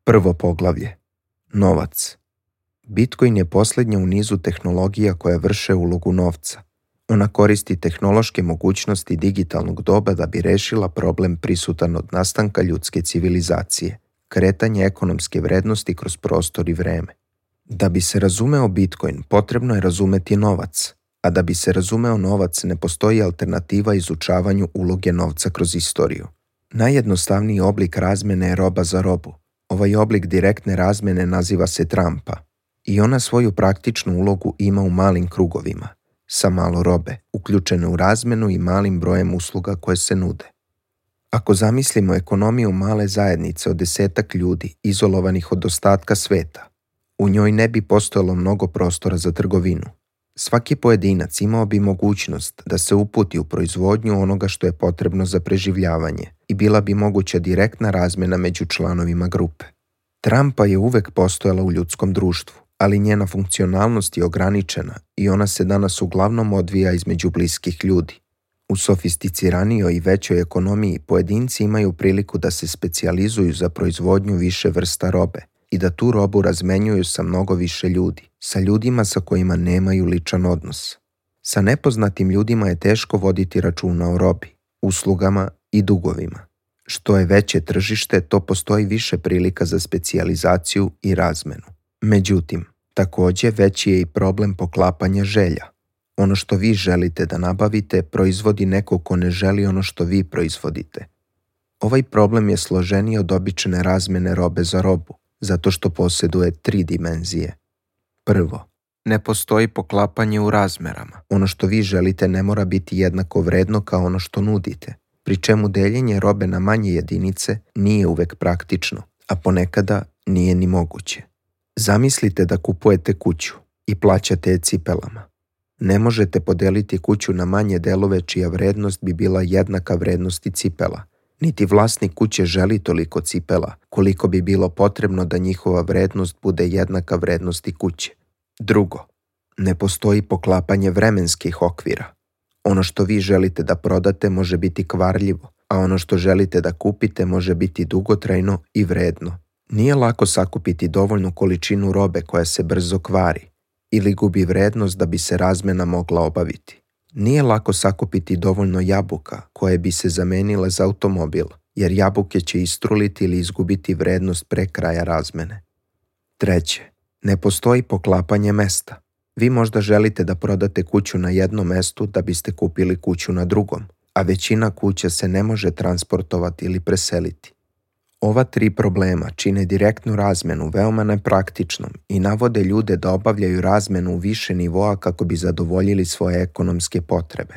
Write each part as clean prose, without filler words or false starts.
Prvo poglavlje. Novac. Bitcoin je posljednja u nizu tehnologija koja vrše ulogu novca. Ona koristi tehnološke mogućnosti digitalnog doba da bi rešila problem prisutan od nastanka ljudske civilizacije, kretanje ekonomske vrednosti kroz prostor i vreme. Da bi se razumeo Bitcoin, potrebno je razumeti novac, a da bi se razumeo novac ne postoji alternativa izučavanju uloge novca kroz istoriju. Najjednostavniji oblik razmene je roba za robu. Ovaj oblik direktne razmene naziva se trampa i ona svoju praktičnu ulogu ima u malim krugovima, sa malo robe, uključene u razmenu i malim brojem usluga koje se nude. Ako zamislimo ekonomiju male zajednice od 10 ljudi izolovanih od ostatka sveta, u njoj ne bi postojalo mnogo prostora za trgovinu. Svaki pojedinac imao bi mogućnost da se uputi u proizvodnju onoga što je potrebno za preživljavanje i bila bi moguća direktna razmena među članovima grupe. Trampa je uvek postojala u ljudskom društvu, ali njena funkcionalnost je ograničena i ona se danas uglavnom odvija između bliskih ljudi. U sofisticiranijoj i većoj ekonomiji pojedinci imaju priliku da se specijalizuju za proizvodnju više vrsta robe i da tu robu razmenjuju sa mnogo više ljudi, sa ljudima sa kojima nemaju ličan odnos. Sa nepoznatim ljudima je teško voditi računa o robi, uslugama i dugovima. Što je veće tržište, to postoji više prilika za specijalizaciju i razmenu. Međutim, također veći je i problem poklapanja želja. Ono što vi želite da nabavite proizvodi neko ko ne želi ono što vi proizvodite. Ovaj problem je složeniji od obične razmene robe za robu, zato što posjeduje 3 dimenzije. Prvo, ne postoji poklapanje u razmerama. Ono što vi želite ne mora biti jednako vredno kao ono što nudite, pri čemu deljenje robe na manje jedinice nije uvek praktično, a ponekada nije ni moguće. Zamislite da kupujete kuću i plaćate je cipelama. Ne možete podeliti kuću na manje delove čija vrednost bi bila jednaka vrednosti cipela, niti vlasnik kuće želi toliko cipela koliko bi bilo potrebno da njihova vrednost bude jednaka vrednosti kuće. Drugo, ne postoji poklapanje vremenskih okvira. Ono što vi želite da prodate može biti kvarljivo, a ono što želite da kupite može biti dugotrajno i vredno. Nije lako sakupiti dovoljnu količinu robe koja se brzo kvari ili gubi vrednost da bi se razmena mogla obaviti. Nije lako sakupiti dovoljno jabuka koje bi se zamenile za automobil, jer jabuke će istruliti ili izgubiti vrednost pre kraja razmene. Treće, ne postoji poklapanje mesta. Vi možda želite da prodate kuću na jednom mestu da biste kupili kuću na drugom, a većina kuća se ne može transportovati ili preseliti. Ova 3 problema čine direktnu razmenu veoma nepraktičnom i navode ljude da obavljaju razmenu u više nivoa kako bi zadovoljili svoje ekonomske potrebe.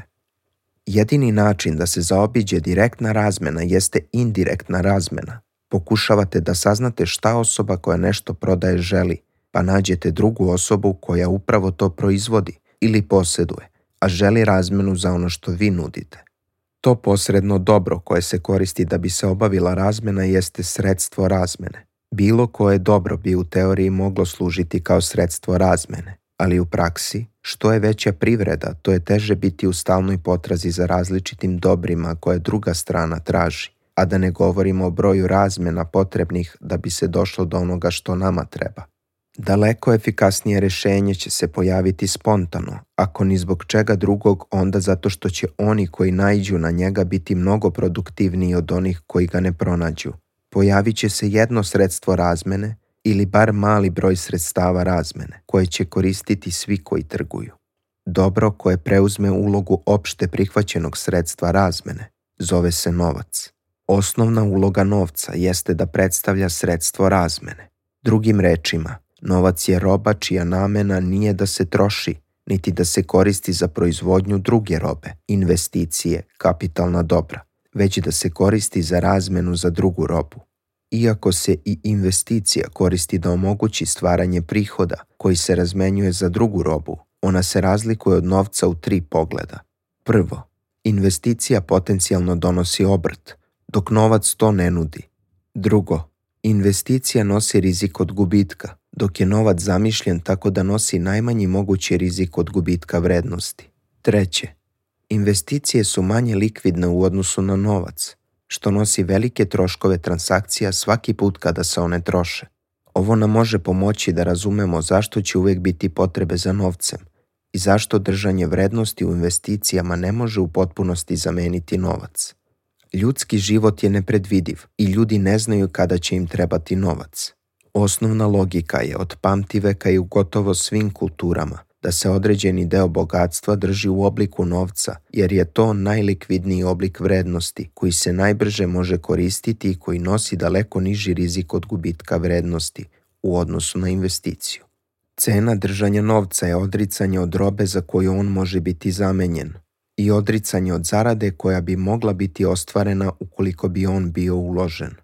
Jedini način da se zaobiđe direktna razmena jeste indirektna razmena. Pokušavate da saznate šta osoba koja nešto prodaje želi, pa nađete drugu osobu koja upravo to proizvodi ili posjeduje, a želi razmenu za ono što vi nudite. To posredno dobro koje se koristi da bi se obavila razmena jeste sredstvo razmene. Bilo koje dobro bi u teoriji moglo služiti kao sredstvo razmene, ali u praksi, što je veća privreda, to je teže biti u stalnoj potrazi za različitim dobrima koje druga strana traži, a da ne govorimo o broju razmena potrebnih da bi se došlo do onoga što nama treba. Daleko efikasnije rešenje će se pojaviti spontano, ako ni zbog čega drugog, onda zato što će oni koji naiđu na njega biti mnogo produktivniji od onih koji ga ne pronađu. Pojavit će se jedno sredstvo razmene ili bar mali broj sredstava razmene, koje će koristiti svi koji trguju. Dobro koje preuzme ulogu opšte prihvaćenog sredstva razmene zove se novac. Osnovna uloga novca jeste da predstavlja sredstvo razmene. Drugim rečima, novac je roba čija namena nije da se troši, niti da se koristi za proizvodnju druge robe, investicije, kapitalna dobra, već da se koristi za razmenu za drugu robu. Iako se i investicija koristi da omogući stvaranje prihoda koji se razmenjuje za drugu robu, ona se razlikuje od novca u 3 pogleda. Prvo, investicija potencijalno donosi obrt, dok novac to ne nudi. Drugo, investicija nosi rizik od gubitka, dok je novac zamišljen tako da nosi najmanji mogući rizik od gubitka vrednosti. Treće, investicije su manje likvidne u odnosu na novac, što nosi velike troškove transakcija svaki put kada se one troše. Ovo nam može pomoći da razumemo zašto će uvijek biti potrebe za novcem i zašto držanje vrednosti u investicijama ne može u potpunosti zameniti novac. Ljudski život je nepredvidiv i ljudi ne znaju kada će im trebati novac. Osnovna logika je od pamtiveka i u gotovo svim kulturama da se određeni deo bogatstva drži u obliku novca, jer je to najlikvidniji oblik vrednosti koji se najbrže može koristiti i koji nosi daleko niži rizik od gubitka vrednosti u odnosu na investiciju. Cena držanja novca je odricanje od robe za koju on može biti zamenjen i odricanje od zarade koja bi mogla biti ostvarena ukoliko bi on bio uložen.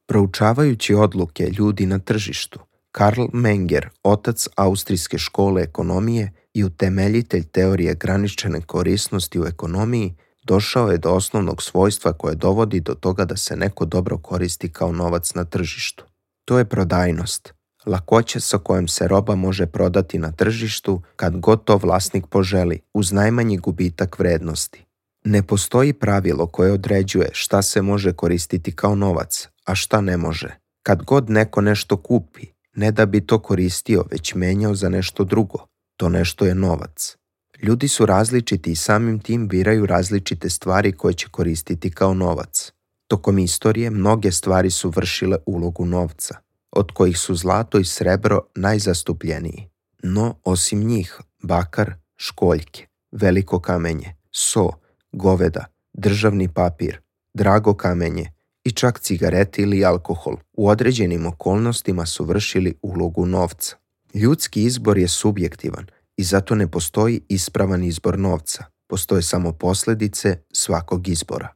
Proučavajući odluke ljudi na tržištu, Karl Menger, otac austrijske škole ekonomije i utemeljitelj teorije graničene korisnosti u ekonomiji, došao je do osnovnog svojstva koje dovodi do toga da se neko dobro koristi kao novac na tržištu. To je prodajnost, lakoća sa kojom se roba može prodati na tržištu kad god to vlasnik poželi, uz najmanji gubitak vrednosti. Ne postoji pravilo koje određuje šta se može koristiti kao novac, a šta ne može. Kad god neko nešto kupi, ne da bi to koristio, već menjao za nešto drugo, to nešto je novac. Ljudi su različiti i samim tim biraju različite stvari koje će koristiti kao novac. Tokom istorije mnoge stvari su vršile ulogu novca, od kojih su zlato i srebro najzastupljeniji. No, osim njih, bakar, školjke, veliko kamenje, so, goveda, državni papir, drago kamenje i čak cigarete ili alkohol u određenim okolnostima su vršili ulogu novca. Ljudski izbor je subjektivan i zato ne postoji ispravan izbor novca. Postoje samo posljedice svakog izbora.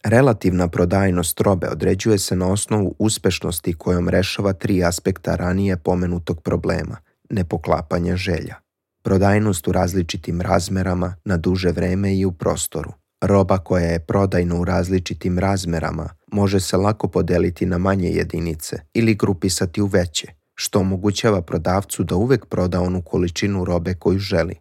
Relativna prodajnost robe određuje se na osnovu uspešnosti kojom rešava 3 aspekta ranije pomenutog problema, nepoklapanja želja. Prodajnost u različitim razmerama, na duže vreme i u prostoru. Roba koja je prodajna u različitim razmerama može se lako podeliti na manje jedinice ili grupisati u veće, što omogućava prodavcu da uvek proda onu količinu robe koju želi.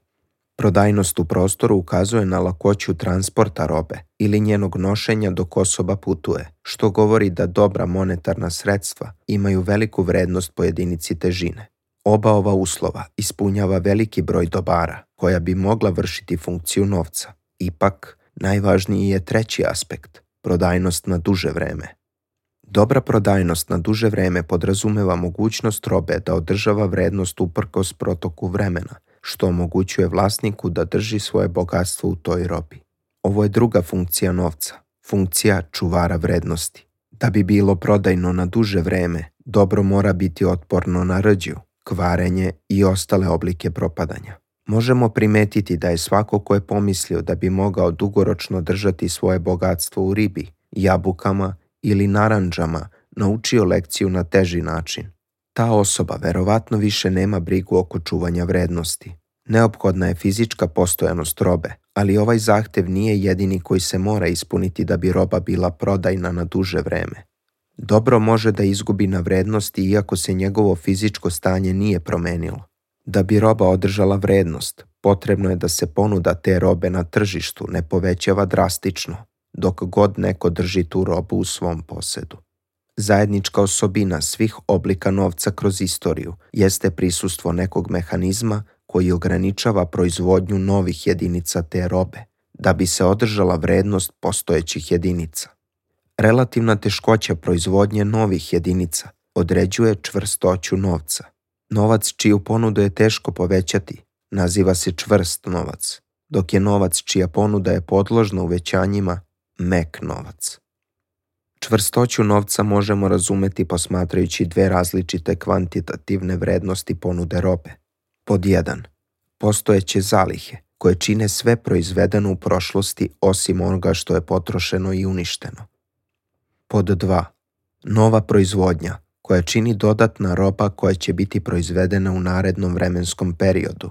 Prodajnost u prostoru ukazuje na lakoću transporta robe ili njenog nošenja dok osoba putuje, što govori da dobra monetarna sredstva imaju veliku vrednost po jedinici težine. Oba ova uslova ispunjava veliki broj dobara koja bi mogla vršiti funkciju novca. Ipak, najvažniji je treći aspekt, prodajnost na duže vreme. Dobra prodajnost na duže vreme podrazumeva mogućnost robe da održava vrednost uprkos protoku vremena, što omogućuje vlasniku da drži svoje bogatstvo u toj robi. Ovo je druga funkcija novca, funkcija čuvara vrednosti. Da bi bilo prodajno na duže vreme, dobro mora biti otporno na rđu, kvarenje i ostale oblike propadanja. Možemo primetiti da je svako ko je pomislio da bi mogao dugoročno držati svoje bogatstvo u ribi, jabukama ili narandžama naučio lekciju na teži način. Ta osoba verovatno više nema brigu oko čuvanja vrednosti. Neophodna je fizička postojanost robe, ali ovaj zahtev nije jedini koji se mora ispuniti da bi roba bila prodajna na duže vreme. Dobro može da izgubi na vrednosti iako se njegovo fizičko stanje nije promenilo. Da bi roba održala vrednost, potrebno je da se ponuda te robe na tržištu ne povećava drastično, dok god neko drži tu robu u svom posedu. Zajednička osobina svih oblika novca kroz istoriju jeste prisustvo nekog mehanizma koji ograničava proizvodnju novih jedinica te robe, da bi se održala vrednost postojećih jedinica. Relativna teškoća proizvodnje novih jedinica određuje čvrstoću novca. Novac čiju ponudu je teško povećati naziva se čvrst novac, dok je novac čija ponuda je podložna uvećanjima mek novac. Čvrstoću novca možemo razumeti posmatrajući 2 različite kvantitativne vrednosti ponude robe. Pod 1. Postojeće zalihe, koje čine sve proizvedeno u prošlosti osim onoga što je potrošeno i uništeno. Pod 2. Nova proizvodnja, koja čini dodatna roba koja će biti proizvedena u narednom vremenskom periodu.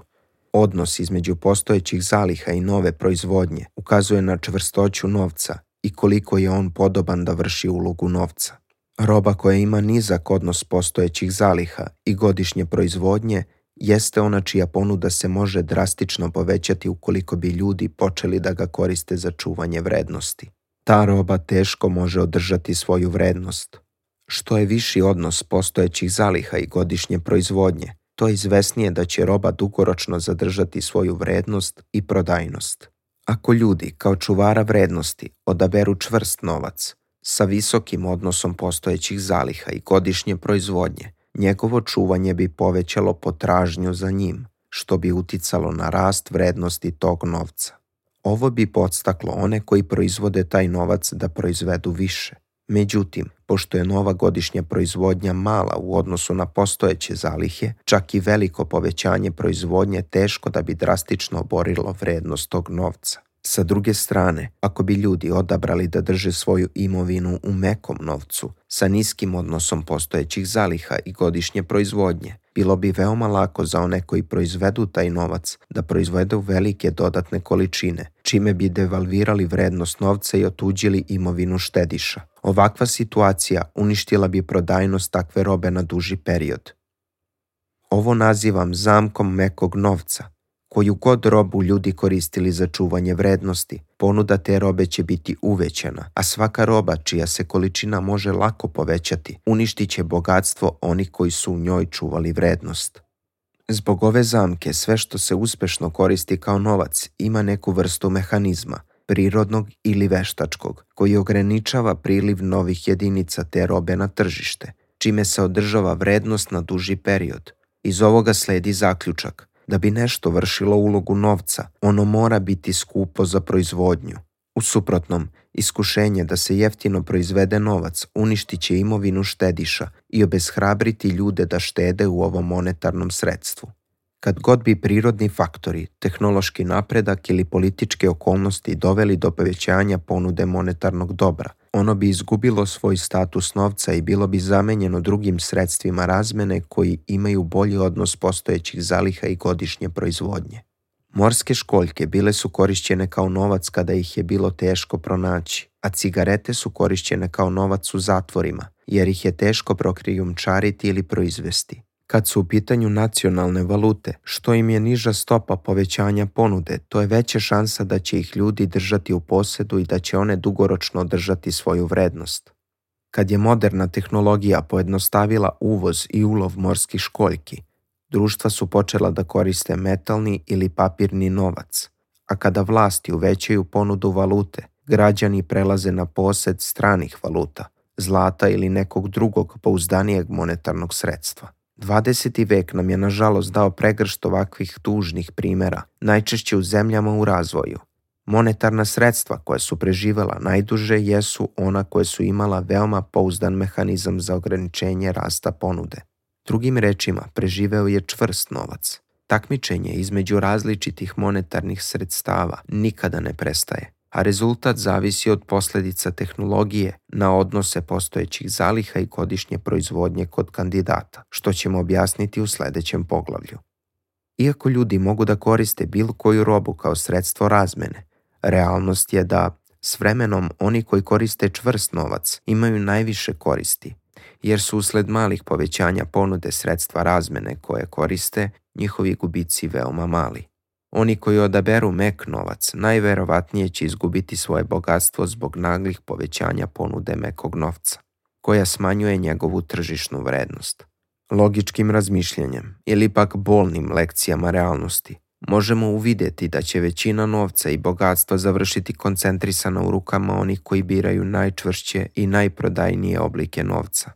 Odnos između postojećih zaliha i nove proizvodnje ukazuje na čvrstoću novca i koliko je on podoban da vrši ulogu novca. Roba koja ima nizak odnos postojećih zaliha i godišnje proizvodnje jeste ona čija ponuda se može drastično povećati ukoliko bi ljudi počeli da ga koriste za čuvanje vrednosti. ta roba teško može održati svoju vrednost. Što je viši odnos postojećih zaliha i godišnje proizvodnje, to je izvesnije da će roba dugoročno zadržati svoju vrednost i prodajnost. Ako ljudi kao čuvara vrednosti odaberu čvrst novac sa visokim odnosom postojećih zaliha i godišnje proizvodnje, njegovo čuvanje bi povećalo potražnju za njim, što bi uticalo na rast vrednosti tog novca. Ovo bi podstaklo one koji proizvode taj novac da proizvedu više. Međutim, pošto je nova godišnja proizvodnja mala u odnosu na postojeće zalihe, čak i veliko povećanje proizvodnje teško da bi drastično oborilo vrednost tog novca. Sa druge strane, ako bi ljudi odabrali da drže svoju imovinu u mekom novcu sa niskim odnosom postojećih zaliha i godišnje proizvodnje, bilo bi veoma lako za one koji proizvedu taj novac da proizvedu velike dodatne količine, čime bi devalvirali vrednost novca i otuđili imovinu štediša. Ovakva situacija uništila bi prodajnost takve robe na duži period. Ovo nazivam zamkom mekog novca. Koju god robu ljudi koristili za čuvanje vrednosti, ponuda te robe će biti uvećana, a svaka roba čija se količina može lako povećati, uništit će bogatstvo onih koji su u njoj čuvali vrednost. Zbog ove zamke, sve što se uspešno koristi kao novac ima neku vrstu mehanizma, prirodnog ili veštačkog, koji ograničava priliv novih jedinica te robe na tržište, čime se održava vrednost na duži period. Iz ovoga sledi zaključak: da bi nešto vršilo ulogu novca, ono mora biti skupo za proizvodnju. U suprotnom, iskušenje da se jeftino proizvede novac uništit će imovinu štediša i obeshrabriti ljude da štede u ovom monetarnom sredstvu. Kad god bi prirodni faktori, tehnološki napredak ili političke okolnosti doveli do povećanja ponude monetarnog dobra, ono bi izgubilo svoj status novca i bilo bi zamenjeno drugim sredstvima razmene koji imaju bolji odnos postojećih zaliha i godišnje proizvodnje. Morske školjke bile su korišćene kao novac kada ih je bilo teško pronaći, a cigarete su korišćene kao novac u zatvorima, jer ih je teško prokrijumčariti ili proizvesti. Kad su u pitanju nacionalne valute, što im je niža stopa povećanja ponude, to je veća šansa da će ih ljudi držati u posedu i da će one dugoročno održati svoju vrednost. Kad je moderna tehnologija pojednostavila uvoz i ulov morskih školjki, društva su počela da koriste metalni ili papirni novac, a kada vlasti uvećaju ponudu valute, građani prelaze na posed stranih valuta, zlata ili nekog drugog pouzdanijeg monetarnog sredstva. 20. vek nam je nažalost dao pregršt ovakvih tužnih primjera, najčešće u zemljama u razvoju. Monetarna sredstva koja su preživela najduže jesu ona koja su imala veoma pouzdan mehanizam za ograničenje rasta ponude. Drugim rečima, preživeo je čvrst novac. Takmičenje između različitih monetarnih sredstava nikada ne prestaje, a rezultat zavisi od posljedica tehnologije na odnose postojećih zaliha i godišnje proizvodnje kod kandidata, što ćemo objasniti u sljedećem poglavlju. Iako ljudi mogu da koriste bilo koju robu kao sredstvo razmene, realnost je da s vremenom oni koji koriste čvrst novac imaju najviše koristi, jer su usled malih povećanja ponude sredstva razmene koje koriste, njihovi gubici veoma mali. Oni koji odaberu mek novac najverovatnije će izgubiti svoje bogatstvo zbog naglih povećanja ponude mekog novca, koja smanjuje njegovu tržišnu vrednost. Logičkim razmišljanjem ili pak bolnim lekcijama realnosti možemo uvidjeti da će većina novca i bogatstva završiti koncentrisana u rukama onih koji biraju najčvršće i najprodajnije oblike novca.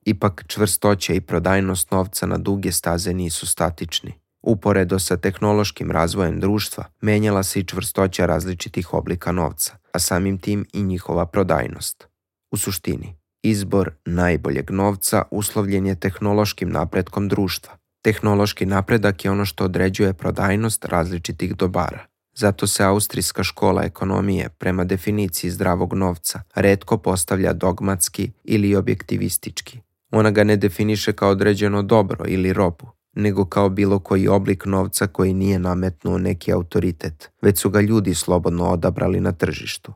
Ipak čvrstoća i prodajnost novca na duge staze nisu statični. Uporedo sa tehnološkim razvojem društva, menjala se i čvrstoća različitih oblika novca, a samim tim i njihova prodajnost. U suštini, izbor najboljeg novca uslovljen je tehnološkim napretkom društva. Tehnološki napredak je ono što određuje prodajnost različitih dobara. Zato se austrijska škola ekonomije, prema definiciji zdravog novca, retko postavlja dogmatski ili objektivistički. Ona ga ne definiše kao određeno dobro ili robu, nego kao bilo koji oblik novca koji nije nametnuo neki autoritet, već su ga ljudi slobodno odabrali na tržištu.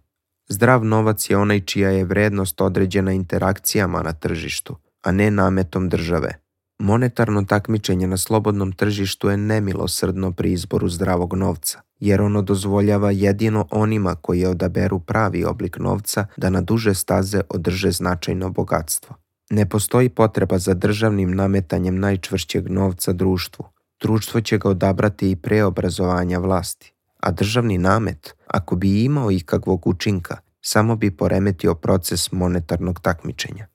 Zdrav novac je onaj čija je vrednost određena interakcijama na tržištu, a ne nametom države. Monetarno takmičenje na slobodnom tržištu je nemilosrdno pri izboru zdravog novca, jer ono dozvoljava jedino onima koji odaberu pravi oblik novca da na duže staze održe značajno bogatstvo. Ne postoji potreba za državnim nametanjem najčvršćeg novca društvu. Društvo će ga odabrati i pre obrazovanja vlasti, a državni namet, ako bi imao ikakvog učinka, samo bi poremetio proces monetarnog takmičenja.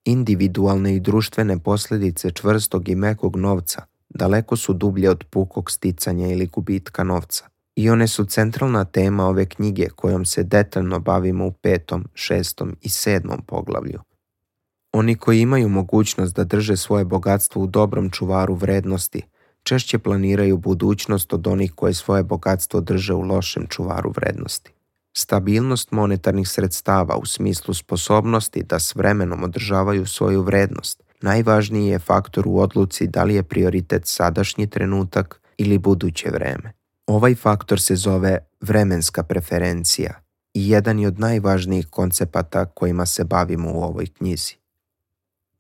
Individualne i društvene posljedice čvrstog i mekog novca daleko su dublje od pukog sticanja ili gubitka novca. I one su centralna tema ove knjige kojom se detaljno bavimo u 5., 6. i 7. poglavlju. Oni koji imaju mogućnost da drže svoje bogatstvo u dobrom čuvaru vrednosti, češće planiraju budućnost od onih koji svoje bogatstvo drže u lošem čuvaru vrednosti. Stabilnost monetarnih sredstava u smislu sposobnosti da s vremenom održavaju svoju vrednost najvažniji je faktor u odluci da li je prioritet sadašnji trenutak ili buduće vreme. Ovaj faktor se zove vremenska preferencija i jedan je od najvažnijih koncepata kojima se bavimo u ovoj knjizi.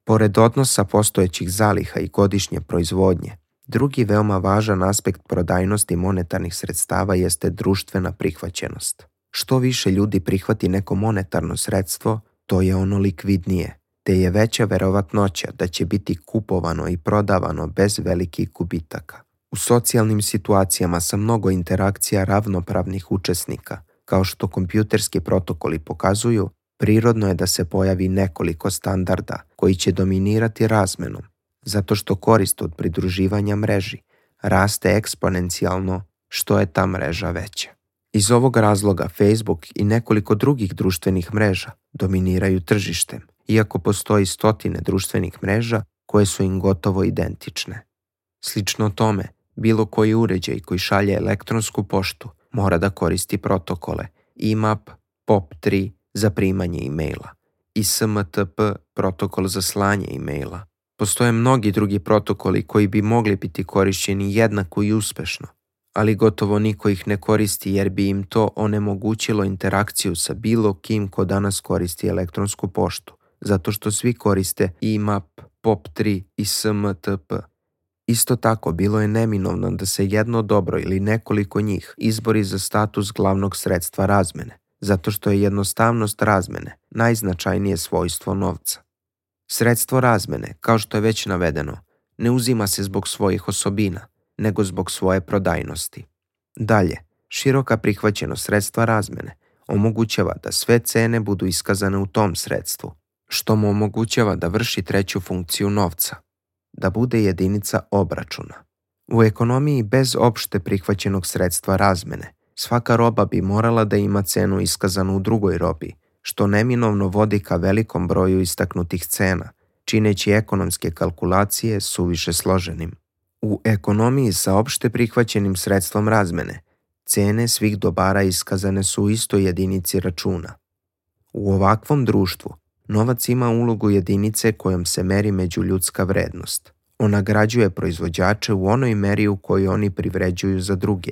Pored odnosa postojećih zaliha i godišnje proizvodnje, drugi veoma važan aspekt prodajnosti monetarnih sredstava jeste društvena prihvaćenost. Što više ljudi prihvati neko monetarno sredstvo, to je ono likvidnije, te je veća verovatnoća da će biti kupovano i prodavano bez velikih gubitaka. U socijalnim situacijama sa mnogo interakcija ravnopravnih učesnika, kao što kompjuterski protokoli pokazuju, prirodno je da se pojavi nekoliko standarda koji će dominirati razmenom, zato što korist od pridruživanja mreži raste eksponencijalno što je ta mreža veća. Iz ovog razloga Facebook i nekoliko drugih društvenih mreža dominiraju tržištem, iako postoji stotine društvenih mreža koje su im gotovo identične. Slično tome, bilo koji uređaj koji šalje elektronsku poštu mora da koristi protokole IMAP, POP3 za primanje e-maila i SMTP protokol za slanje e-maila. Postoje mnogi drugi protokoli koji bi mogli biti korišćeni jednako i uspešno, ali gotovo niko ih ne koristi jer bi im to onemogućilo interakciju sa bilo kim ko danas koristi elektronsku poštu, zato što svi koriste IMAP, POP3 i SMTP. Isto tako, bilo je neminovno da se jedno dobro ili nekoliko njih izbori za status glavnog sredstva razmene, zato što je jednostavnost razmene najznačajnije svojstvo novca. Sredstvo razmene, kao što je već navedeno, ne uzima se zbog svojih osobina, nego zbog svoje prodajnosti. Dalje, široka prihvaćenost sredstva razmene omogućava da sve cene budu iskazane u tom sredstvu, što mu omogućava da vrši treću funkciju novca, da bude jedinica obračuna. U ekonomiji bez opšte prihvaćenog sredstva razmene, svaka roba bi morala da ima cenu iskazanu u drugoj robi, što neminovno vodi ka velikom broju istaknutih cena, čineći ekonomske kalkulacije suviše složenim. U ekonomiji sa opšte prihvaćenim sredstvom razmene, cene svih dobara iskazane su u istoj jedinici računa. U ovakvom društvu, novac ima ulogu jedinice kojom se meri međuljudska vrednost. On nagrađuje proizvođače u onoj meri u kojoj oni privređuju za druge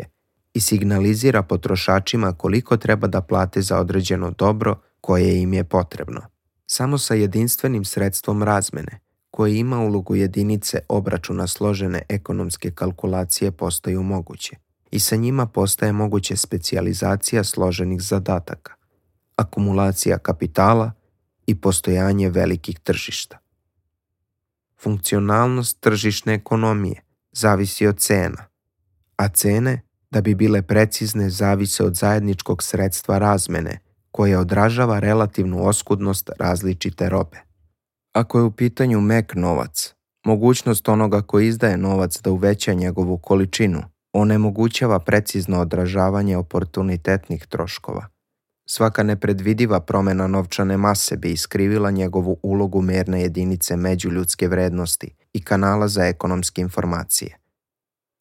i signalizira potrošačima koliko treba da plate za određeno dobro koje im je potrebno. Samo sa jedinstvenim sredstvom razmene, koje ima ulogu jedinice obračuna složene ekonomske kalkulacije, postaju moguće i sa njima postaje moguće specijalizacija složenih zadataka, akumulacija kapitala i postojanje velikih tržišta. Funkcionalnost tržišne ekonomije zavisi od cena, a cene, da bi bile precizne, zavise od zajedničkog sredstva razmene koje odražava relativnu oskudnost različite robe. Ako je u pitanju mek novac, mogućnost onoga koji izdaje novac da uveća njegovu količinu onemogućava precizno odražavanje oportunitetnih troškova. Svaka nepredvidiva promjena novčane mase bi iskrivila njegovu ulogu merne jedinice međuljudske vrednosti i kanala za ekonomske informacije.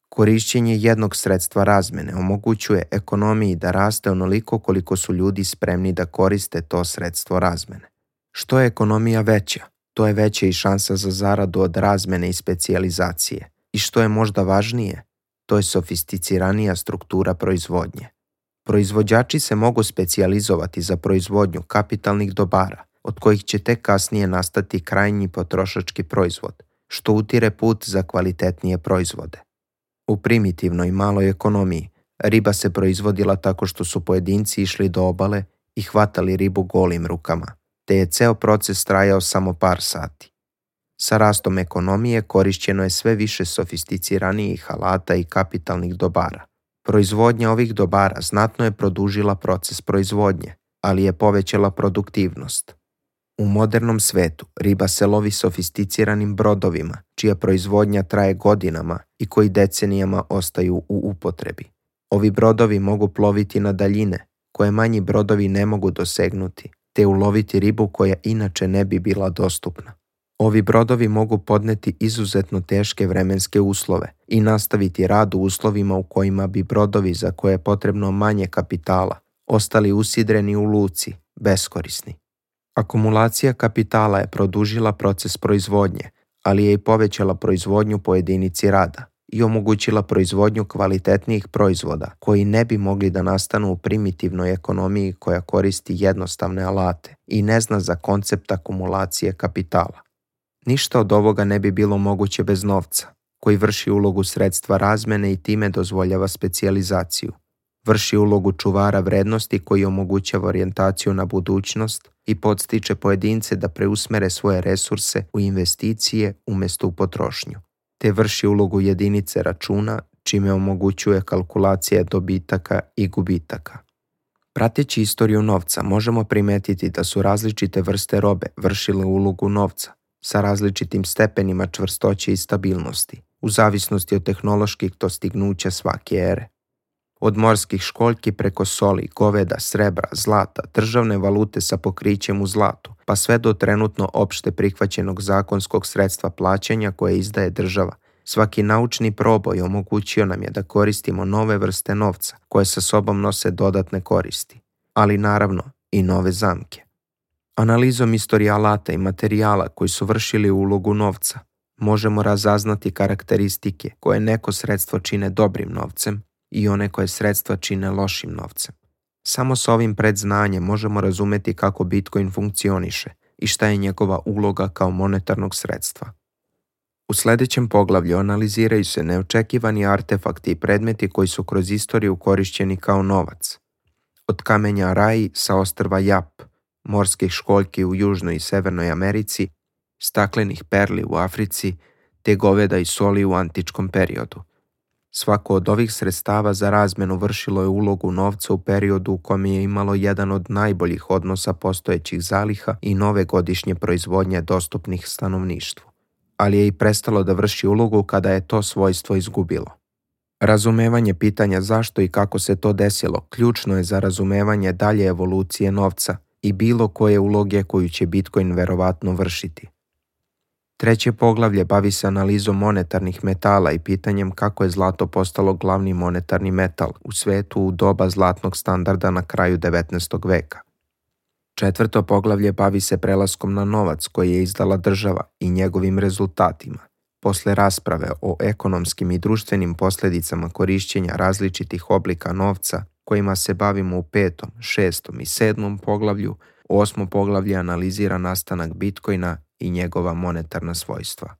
Korišćenje jednog sredstva razmene omogućuje ekonomiji da raste onoliko koliko su ljudi spremni da koriste to sredstvo razmene. Što je ekonomija veća, to je veća i šansa za zaradu od razmene i specijalizacije. I što je možda važnije, to je sofisticiranija struktura proizvodnje. Proizvođači se mogu specijalizovati za proizvodnju kapitalnih dobara, od kojih će tek kasnije nastati krajnji potrošački proizvod, što utire put za kvalitetnije proizvode. U primitivnoj maloj ekonomiji Riba se proizvodila tako što su pojedinci išli do obale i hvatali ribu golim rukama, te je ceo proces trajao samo par sati. Sa rastom ekonomije korišćeno je sve više sofisticiranijih alata i kapitalnih dobara. Proizvodnja ovih dobara znatno je produžila proces proizvodnje, ali je povećala produktivnost. U modernom svetu riba se lovi sofisticiranim brodovima, čija proizvodnja traje godinama i koji decenijama ostaju u upotrebi. Ovi brodovi mogu ploviti na daljine, koje manji brodovi ne mogu dosegnuti, te uloviti ribu koja inače ne bi bila dostupna. Ovi brodovi mogu podneti izuzetno teške vremenske uslove i nastaviti rad u uslovima u kojima bi brodovi za koje je potrebno manje kapitala ostali usidreni u luci, beskorisni. Akumulacija kapitala je produžila proces proizvodnje, ali je i povećala proizvodnju po jedinici rada i omogućila proizvodnju kvalitetnijih proizvoda koji ne bi mogli da nastanu u primitivnoj ekonomiji koja koristi jednostavne alate i ne zna za koncept akumulacije kapitala. Ništa od ovoga ne bi bilo moguće bez novca, koji vrši ulogu sredstva razmene i time dozvoljava specijalizaciju. Vrši ulogu čuvara vrednosti koji omogućava orijentaciju na budućnost i podstiče pojedince da preusmere svoje resurse u investicije umjesto u potrošnju, te vrši ulogu jedinice računa čime omogućuje kalkulacije dobitaka i gubitaka. Prateći istoriju novca možemo primetiti da su različite vrste robe vršile ulogu novca sa različitim stepenima čvrstoće i stabilnosti, u zavisnosti od tehnoloških dostignuća svake ere. Od morskih školjki preko soli, goveda, srebra, zlata, državne valute sa pokrićem u zlatu, pa sve do trenutno opšte prihvaćenog zakonskog sredstva plaćanja koje izdaje država. Svaki naučni proboj omogućio nam je da koristimo nove vrste novca koje sa sobom nose dodatne koristi, ali naravno i nove zamke. Analizom istorije alata i materijala koji su vršili ulogu novca, možemo razaznati karakteristike koje neko sredstvo čine dobrim novcem i one koje sredstva čine lošim novcem. Samo s ovim predznanjem možemo razumeti kako Bitcoin funkcioniše i šta je njegova uloga kao monetarnog sredstva. U sljedećem poglavlju analiziraju se neočekivani artefakti i predmeti koji su kroz istoriju korišćeni kao novac. Od kamenja Rai sa ostrva Jap, morskih školjki u Južnoj i Severnoj Americi, staklenih perli u Africi, te goveda i soli u antičkom periodu. Svako od ovih sredstava za razmenu vršilo je ulogu novca u periodu u kojem je imalo jedan od najboljih odnosa postojećih zaliha i nove godišnje proizvodnje dostupnih stanovništvu, ali je i prestalo da vrši ulogu kada je to svojstvo izgubilo. Razumevanje pitanja zašto i kako se to desilo ključno je za razumevanje dalje evolucije novca i bilo koje uloge koju će Bitcoin verovatno vršiti. Treće poglavlje bavi se analizom monetarnih metala i pitanjem kako je zlato postalo glavni monetarni metal u svetu u doba zlatnog standarda na kraju 19. veka. Četvrto poglavlje bavi se prelaskom na novac koji je izdala država i njegovim rezultatima. Posle rasprave o ekonomskim i društvenim posljedicama korišćenja različitih oblika novca, kojima se bavimo u 5., 6. i 7. poglavlju, 8. poglavlje analizira nastanak Bitcoina i njegova monetarna svojstva.